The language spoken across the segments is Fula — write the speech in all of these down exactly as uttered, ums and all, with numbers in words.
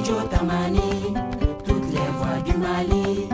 Studio Tamani, toutes les voix du Mali.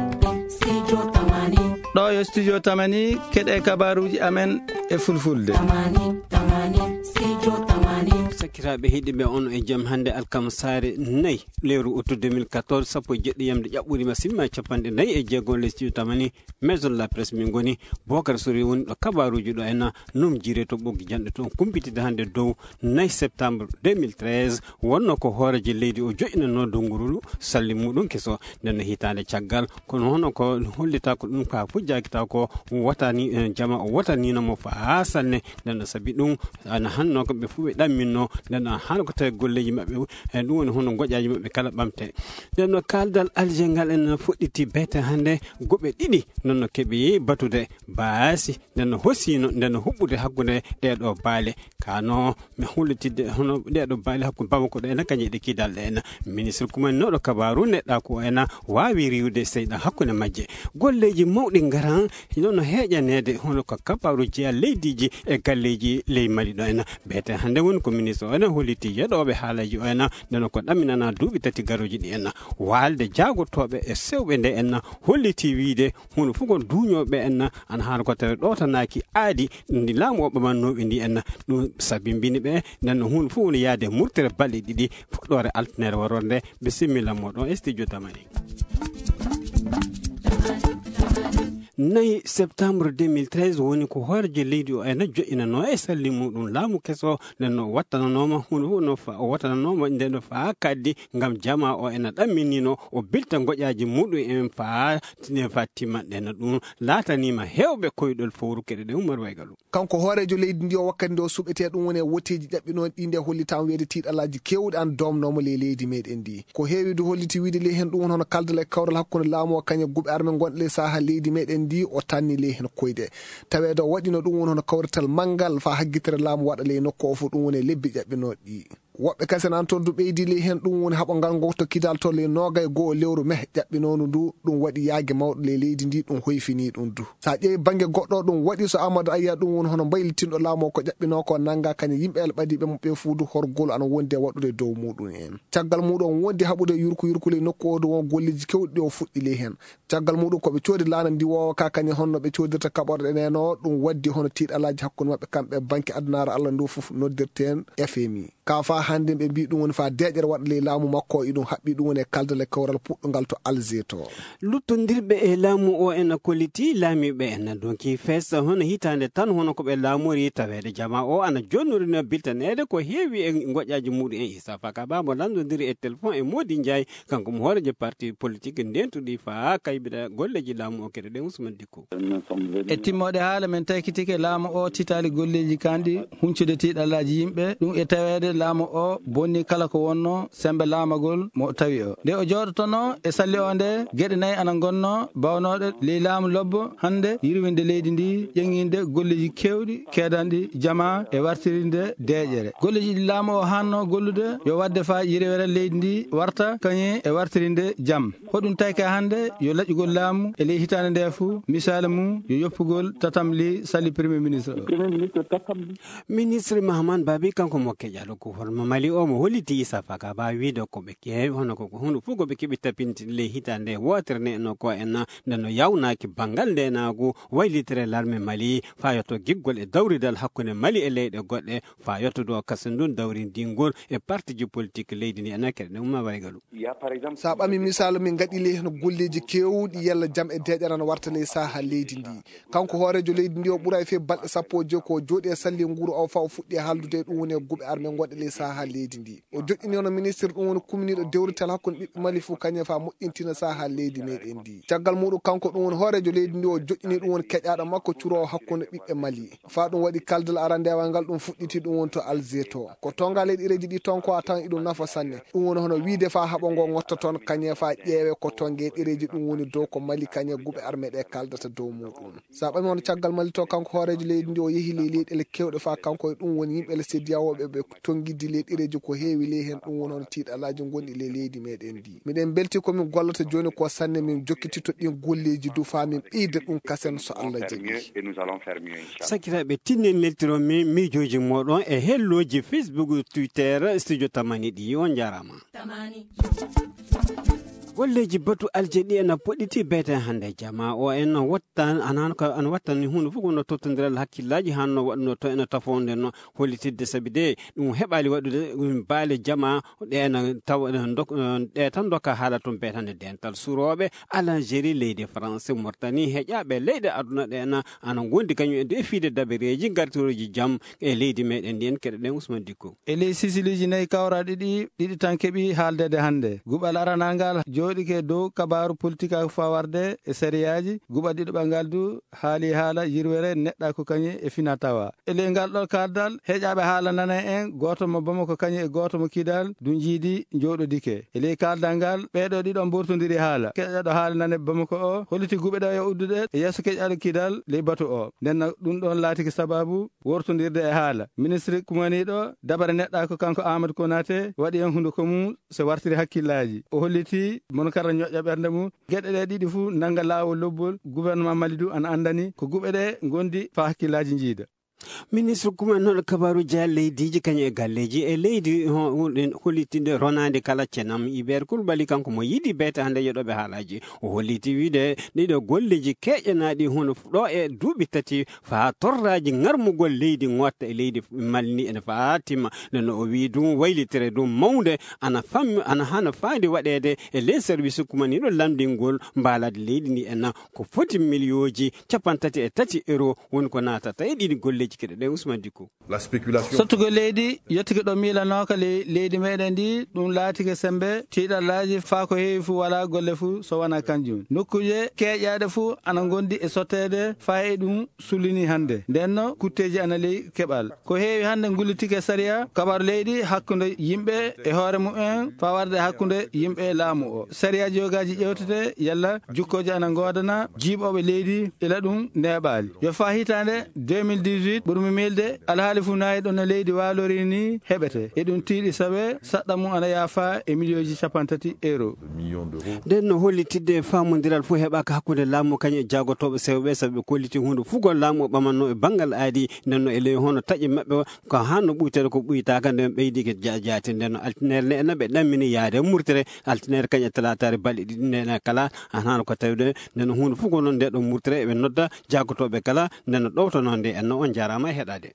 Studio Tamani. Ɗo yo Studio Tamani, keɗe kabaruji amen e fulfulde. Tamani, Tamani, Studio Tamani. Sakiraaɓe heɗiɓe, on e jam hannde alkama saare nayi, lewru août deux mille quatorze, sappo e jeɗɗi yamde ƴaɓɓuri ma simma e capanɗe nayi e jeego le Studio Tamani, Maison de la Presse min ngoni. Bokar Sori woni ɗo kabaruji ɗo ena num jire to ɓoggi janɗe to on kumpitide hannde dow nayi septembre deux mille treize, wonno ko hooreejo leydi o joƴinanno donguru salli muɗum keso. Nden no hitaande caggal, kono hono ko hollita ko ɗum ka fujjakita ko wotani, eh, jama o wotanino mo faa sanne. Nden no sabi ɗum ana hanno ko ɓe fof ɓe ɗamminno. Nden no hano ko tawi golleji maɓɓe, eh, ɗum woni hono goƴaji maɓɓe kala ɓamte. Nden no kaldal Alger ngal en fuɗɗiti bete hannde goɓe ɗiɗi. Nden no keɓi batude baasi, nden no hosino, nden no huɓɓude hakkunde ɗeɗo baale. Kano mi hullitidde hono ɗeɗo baale hakkunde Bamako ɗo ena kañe ɗe kidal ɗe ena. Ministre kumaninoɗo kabaru neɗɗa ko ena waawi riwde seyɗa hakkunde majje. Golleji mawɗi ngaran, nono heeƴaneede hono ko kabaru jeya leydiiji e galleji ley Mali ɗo ena. Bete hannde woni ko ministre o ena holliti yeɗoɓe haalaji o ena, nden ko ɗaminana duuɓi tati garoji ɗi ena. Waalde jaagotoɓe e sewɓe nde ena holliti wiide huno fof ko duuñooɓe en, ana haala ko tawi ɗootanaaki aadi ndi laamu o ɓamannooɓe ndi en. Ɗum sabimbini ɓe, nden no huno fof woni yaade murtere balɗe ɗiɗi, fuɗɗoore altinere warorde. Bisimilla moɗon e studio Tamani. Nayi septembre deux mille treize woni ko hoorejo leydi o ena joƴinanoo e salli muɗum laamu keso, nden no wattananooma huno fof no fa-, o wattananooma nden no faa kaddi ngam jama o ena ɗamminino o bilta goƴaji muɗum en faa tine faa timmanɗe no ɗum laatanima hewɓe koyɗol fowru keɗe ɗe Umar Waygalu. Kanko hooreejo leydi ndi o wakkati nde o suɓetee ɗum woni e woteeji ƴaɓɓinooɗi ɗi nde hollitaama weede tiiɗalaaji keewɗi an doomnooma ley leydi meɗen ndi. Ko heewi du holliti wiide ley hen ɗum woni hono kaldal e kawral hakkunde laamu o kañe guɓe arme gonɗe ley saha leydi meɗen ndi o tanni ley hen koyɗe. Taweede o waɗino ɗum woni hono kawrital manngal faa haggitere laamu waɗa ley nokku o fof ɗum woni e lebbi ƴaɓɓinooɗi ɗi. Woɓɓe kasen an toon du ɓeydi ley heen, ɗum woni haɓo ngal ngokto kidal to ley noogay goo lewru meh ƴaɓɓinoonu ndu, ɗum waɗi yaage mawɗo ley leydi ndi, ɗum hoyfini ɗum du. So a ƴeewi bannge goɗɗo, ɗum waɗi so Amadou Ayya, ɗum woni hono mbaylitinɗo laamu o ko ƴaɓɓinoo ko nannga kañum yimɓe el ɓadiiɓe mo ɓe fuu du horgol ana wondi e waɗude dow muɗum en. Caggal muɗum wondi haɓude yurku yurku ley nokku o du won golleeji kewɗi ɗi o fuɗɗi ley heen. Caggal muɗum ko ɓe coodi laana ndiwoowa ka kañum honno ɓe coodirta kaɓorɗe nde no ɗum waddi hono tiiɗalaaji hakkunde maɓɓe kamɓe banke adunaaru Allah ndu fof noddirten F M I. Ka faa hannde ɓe mbii ɗum woni faa deeƴere waɗa ley laamu makko o, iɗum haɓɓi ɗum woni e kaldal e kawral puɗɗungal to Alger to. Luttondirɓe e laamu o ena kolliti laamiiɓe ena donki fees hono hitaande tan hono ko ɓe laamori taweede jama o ana jonnori no biltaneede ko heewi e ngoƴaaji muɗum en. Issa Faka Ba mo lanndondiri e telefon e Modi Ndiaye, kanko mo hooreejo parti politique ndentuɗi faa kaybita golleeji laamu o keɗe ɗen Ousmane Dicko. E timmoode haala men taykitike laamu o titaali golleeji kanɗi huncude tiiɗalaaji yimɓe, ɗum e taweede laamu o bonni kala ko wonno sembe laamagol mo tawi o. Nde o jooɗotono e salli o nde, geɗe nayi ana ngonno bawnooɗe ley laamu lobbo hannde yirwinde leydi ndi, ƴeŋŋinde golleeji keewɗi keedanɗi jama e wartirinde deeƴere. Golleeji ɗi laamu o hanno gollude yo waɗde faa yirwere leydi ndi warta kañum e wartirinde jam. Hoɗum tayka hannde yo laƴƴugol laamu e ley hitaande nde fuu, misaali mum yo yoppugol tatamli salli Premier Ministre o. Ministre Mahaman Babi kanko mo keƴaɗo ko horma Mali o mo holliti Issa Faka Ba wiide ko ɓe keewi hono ko, ko hunde fof ko ɓe keɓi tapinti ley hitaande wootere nde no ko en nde no yawnaaki banngal ndenaagu waylitere larme Mali faa yotto giggol e dawridal hakkunde Mali e leyɗe goɗɗe faa yotto ɗo kasen ɗum dawrindingol e partiji politique leydi ndi ena keɗe ɗum ma waygalu. Sa ɓami misaalu, min ngaɗi ley heno golleeji keewɗi yalla jam e deeƴere ana warta ley saha leydi ndi. Kanko hooreejo leydi ndi o ɓuray fee balɗe sappo e joy ko jooɗi e salli nguuru o faa o fuɗɗi e haaldude e ɗum woni e guɓe arme gonɗe ley saha leydi ndi. O joɗɗini hono ministre ɗum woni kumniiɗo dewrital hakkunde ɓiɓɓe Mali fof kañum faa moƴƴintina saha leydi meɗen ndi. Caggal muɗum kanko ɗum woni hooreejo leydi ndi o joɗɗini ɗum woni keƴaaɗo makko curoowo hakkunde ɓiɓɓe Mali. Faa ɗum waɗi kaldal arandewal ngal ɗum fuɗɗiti ɗum woni to Alger to. Ko tonga ley ɗereeji ɗi toon ko a tawan iɗum nafa sanne. Ɗum woni hono wiide faa haɓo ngo ŋotta toon kañe faa ƴeewe ko tonge ɗereeji ɗum woni dow ko Mali kañe guɓe arme ɗe kaldata dow muɗum. Sa ɓami hono caggal Mali to kanko hooreejo leydi ndi o yehi ley leyɗele kewɗe faa kanko e ɗum woni yimɓe le C D A O ɓe ɓe tongi Giddi ley ɗereeji ko heewi ley heen, ɗum woni hono tiiɗalaaji ngonɗi ley leydi meɗen ndi. Miɗen mbelti ko min gollata jooni ko sanne min jokkitito ɗin golleeji du faa min ɓeyda ɗum kasen so Allah jaɓi. Sakiraaɓe, tinnen neltiron min miijooji mooɗon e hellooji Facebook, Twitter, Studio Tamani ɗi. On njaaraama. Golleeji batu alje ɗi ena poɗɗiti beete hannde jama o en wattan anan ko an wattani huunde fof ko no tottondiral hakkillaaji hanno waɗno to ena tafonde no hollitidde sabi de ɗum heɓaali waɗude ɗum baale jama ɗe ena tawa ɗe tan dokka haala tun beetande dental surooɓe Algérie leydi France Mauritanie heƴaaɓe leyɗe aduna ɗe ena ana ngondi kañum e defiide dabereeji gartirooji jam e leydi meɗen ndi en keɗoɗen Ousmane Dicko. E ley sisiliiji nayi kawraaɗi ɗi, ɗiɗi tan keɓi haaldeede hannde. Guɓal aranal ngal jooɗike dow kabaaru politikaaku fawarde e sariyaaji. Guɓal ɗiɗaɓal ngal du haali haala yirwere neɗɗaaku kañum e fina tawa. E ley ngal ɗo kaldal, heƴaaɓe haala nana en, gooto mo Bamako kañum e gooto mo Kidal du njiidi njooɗodike. E ley kaldal ngal, ɓeeɗo ɗiɗo mbortondiri haala. Keƴaɗo haala nane Bamako o, holliti guɓe ɗo e uddude e yeeso keƴaɗo Kidal ley batu o. Nden ɗum ɗon laatiki sababu wortondirde e haala. Ministre kumaniiɗo dabare neɗɗaako kanko Amadou Konaté waɗi en hunduko mum so wartiri hakkillaaji. O holliti mono kala ñoƴƴa ɓernde mum. Geɗe ɗe ɗiɗi fuu nannga laawol lobbol. Gouvernement Mali du ana anndani ko guɓe ɗe ngondi faa hakkillaaji njiida. Ministre kumannoɗo kabaaruji e leydiiji kañum e galleeji e leydi hollitinde ronaande kala cenam Hubert Coulibaly kanko mo yiɗi beete hannde yeɗooɓe haalaaji. O holliti wiide ɗiɗo golleeji keƴanaaɗi hono ɗo e duuɓi tati faa torraaji ŋarmugol leydi ŋotta e leydi Mali ni ene faa timma. Nde no o wii ɗum waylitire ɗum mawnde ana fammi ana hana faandi waɗeede e ley service kumaniiɗo lamndingol mbaalaade leydi ndi ena ko foti miliyooji capanɗe tati e tati euro woni ko naatata e ɗiɗi golleeji keɗoɗen Ousmane Dicko. Sottugol leydi yettike ɗo miilanooka ley leydi meɗen ndi ɗum laatike sembe tiiɗallaaji faa ko heewi fuu walaa golle fuu so wanaa kanjum. Nokkuuje keeƴaaɗe fuu ana ngondi e sotteede faa e ɗum sulini hannde. Ndenno kutteeji ana ley keɓal. Ko heewi hannde ngullitike sariya kabaaru leydi hakkunde yimɓe e hoore mumen faa warde hakkunde yimɓe e laamu o. Sariya jogaaji ƴewtete yalla jukkooje ana ngoodana jiiɓooɓe leydi ila ɗum neeɓaali. Yo faa hitaande deux mille dix-huit ɓurmi miilde alhaali fuu nayi ɗo no leydi waalori ni heɓete. E ɗum tiiɗi sawe saɗɗa mum ana yaafa e miliyooji capanɗe tati euro. Nden no hollitidde faamondiral fof heɓaaka hakkunde laamu kañum e jaagotooɓe sewɓe sabu ɓe kolliti huunde fof ko laamu o ɓamanno e banngal aadi. Nden no e ley hono taƴe maɓɓe ko hanno ɓuytere ko ɓuytaaka nden ɓeydike jaatinde no altinere ne ena ɓe ɗammini yaade murtere altinere kañum e talaataare balɗe ɗiɗi nden kala. An hano ko tawde nden huunde fof ko noon nde ɗo murtere eɓe nodda jaagotooɓe kala nden no ɗowtono nde enno on jaaraama e heɗaade.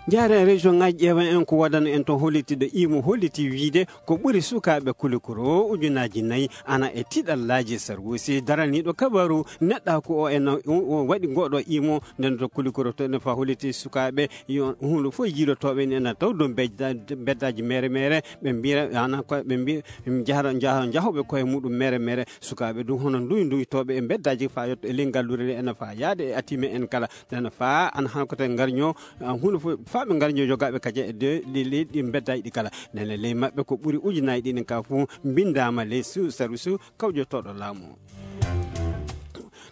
Jaare région ngaji ƴeewa en ko wadano en toon hollitide imo holliti wiide ko ɓuri sukaaɓe kulikoro ujunaaji nayi ana e tiɗallaaji sarwusi daraniiɗo kabaru neɗɗa ko o en waɗi ngoɗo imo nden to kulikoro to ene fa holliti sukaaɓe yo hunde fof yiilotooɓe ni ena taw dow beddaaji mere mere ɓe mbira ana ko ɓe mbi jahra jahoɓe koye muɗum mere mere sukaaɓe ɗum hono nduy nduytooɓe e beddaaji fa yetto e ley ngalluure nde ena fa yaade e atime en kala ene fa ana han kote ngarño hunde fof fa ɓe ngarño jogaaɓe kaje e de leyɗi beddaaji ɗi kala nene ley maɓɓe ko ɓuri ujunaaji ɗiɗi ka fof mbindaama ley service kawjotooɗo laamu o.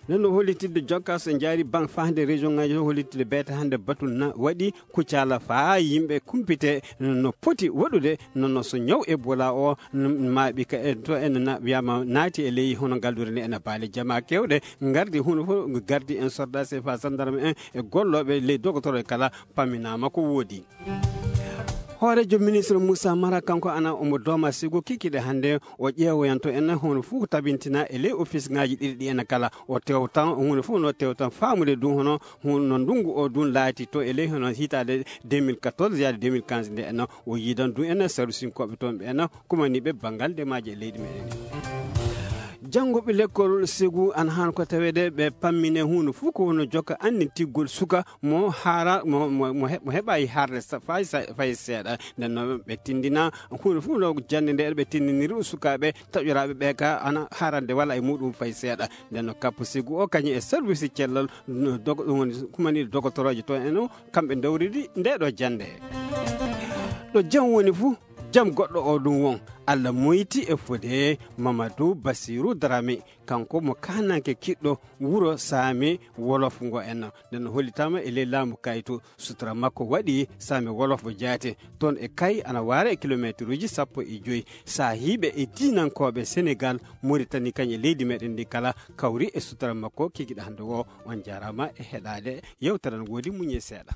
Nden no hollitidde jokka so jaari ban fahde région ngaji to hollitidde beete hannde batul na waɗi kucala faa yimɓe kumpite no poti waɗude nono so ñaw ebola o maaɓi ka en to en wiyama naati e ley hono ngaldure nde ena baale jama kewɗe gardi huno fof gardi en sordase fa sandarme en e gollooɓe ley dogotoro e kala pamminama ko woodi. Hoorejo ministre Moussa Mara kanko ana omo dooma sigo kikiɗe hannde o ƴeewoyanto en hono fof ko tabintina e ley office ngaji ɗiɗi ɗi ena kala o tewtan hunde fof no tewtan faamude ɗum hono no ndungu o ɗum laati to e ley hono hitaade deux mille quatorze yaade deux mille quinze nde ena o yiidan ɗum ena sarusinkoɓe toon ɓe ena kumaniɓe banngal ndemaji e leydi meɗen. Jannguɓe lekkol segu ana han ko tawede ɓe pammine hunde fof ko no jokka anndintiggol suka mo haara mo mo mo heɓa e harde fay fay seeɗa nden noon ɓe tindina hunde fof no jannde nde ɓe tindiniri sukaaɓe taƴoraaɓe ɓe ka ana harande wala e muɗum fay seeɗa nden no kappo sigu o kañum e service cellal ɗum woni kumani dogotoroje to en o kamɓe dawridi nde ɗo jannde ɗo jam woni fof. Jam goɗɗo o ɗum won, Allah moyti e fode Mamadou Bassirou Dramé, kanko mo kaananke kiɗɗo wuro Saame Wolof ngo en. Nden no hollitaama e ley laamu Kayto, sutura makko waɗi Saame Wolof mo jaate. Toon e Kay ana waara e kilomeeteruuji sappo e joy. Saahiiɓe e diinankooɓe Senegaal, Moritani kañ e leydi meɗen ndi kala kawri e sutura makko kikiɗe hannde o. On jaaraama e heɗaade yewtere, no woodi muñe seeɗa.